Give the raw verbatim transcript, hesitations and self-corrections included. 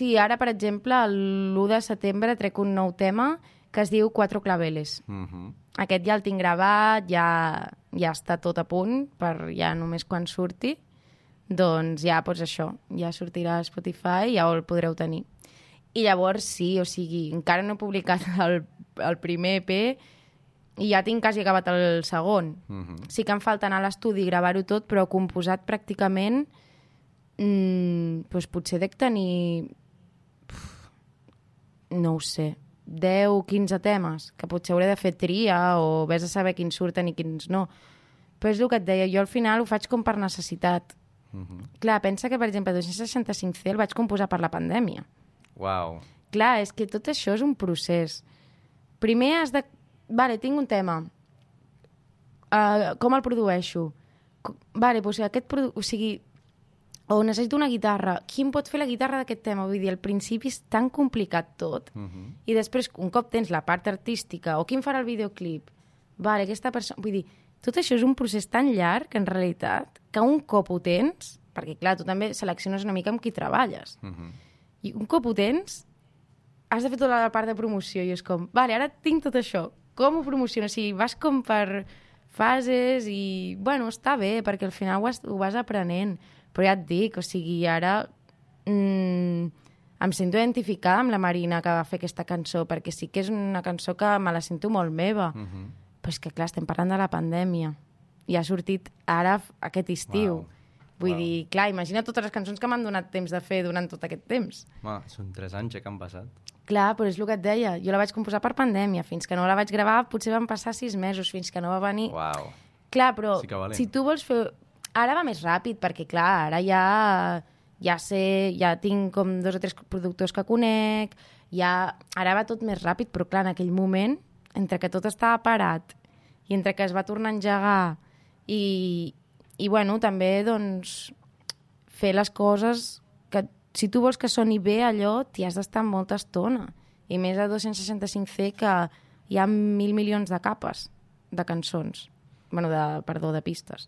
Sí, ara, per exemple, l'u de setembre trec un nou tema que es diu Cuatro Claveles. Uh-huh. Aquest ja el tinc gravat, ja, ja està tot a punt, per ja només quan surti. Doncs ja, doncs això, ja sortirà a Spotify i ja el podreu tenir. I llavors sí, o sigui, encara no he publicat el, el primer E P i ja tinc quasi acabat el segon. Uh-huh. Sí que em falta anar a l'estudi i gravar-ho tot, però composat pràcticament mmm, doncs potser dec tenir, no ho sé, deu o quinze temes, que potser hauré de fer tria o vés a saber quins surten i quins no. Però és el que et deia, jo al final ho faig com per necessitat. Uh-huh. Clar, pensa que, per exemple, dos-cents seixanta-cinc ce el vaig composar per la pandèmia. Uau. Clar, és que tot això és un procés. Primer has de... Vale, tinc un tema. Uh, com el produeixo? Co- Vale, doncs aquest produ... O sigui, o necessito una guitarra. Qui em pot fer la guitarra d'aquest tema? Vull dir, al principi és tan complicat tot. Uh-huh. I després, un cop tens la part artística, o qui em farà el videoclip? Vale, aquesta persona... Vull dir, tot això és un procés tan llarg, en realitat, que un cop ho tens... Perquè, clar, tu també selecciones una mica amb qui treballes. Uh-huh. I un cop ho tens, has de fer tota la part de promoció. I és com, vale, ara tinc tot això. Com ho promociono? O sigui, vas com per fases i, bueno, està bé, perquè al final ho, has, ho vas aprenent. Però ja et dic, o sigui, ara mmm, em sento identificada amb la Marina que va fer aquesta cançó, perquè sí que és una cançó que me la sento molt meva. Uh-huh. Però és que, clar, estem parlant de la pandèmia. I ha sortit ara aquest estiu. Wow. Vull Wow. dir, clar, imagina totes les cançons que m'han donat temps de fer durant tot aquest temps. Ma, són tres anys ja que han passat. Clar, però és el que et deia. Jo la vaig composar per pandèmia. Fins que no la vaig gravar, potser van passar sis mesos, fins que no va venir... Uau. Clar, però Sí que valent. si tu vols fer... Ara va més ràpid, perquè, clar, ara ja, ja sé... Ja tinc com dos o tres productors que conec, ja... Ara va tot més ràpid, però, clar, en aquell moment, entre que tot estava parat i entre que es va tornar a engegar i, i bueno, també, doncs, fer les coses que, si tu vols que soni bé allò, t'hi has d'estar molta estona. I més a dos-cents seixanta-cinc ce que hi ha mil milions de capes de cançons. Bueno, de, perdó, de pistes.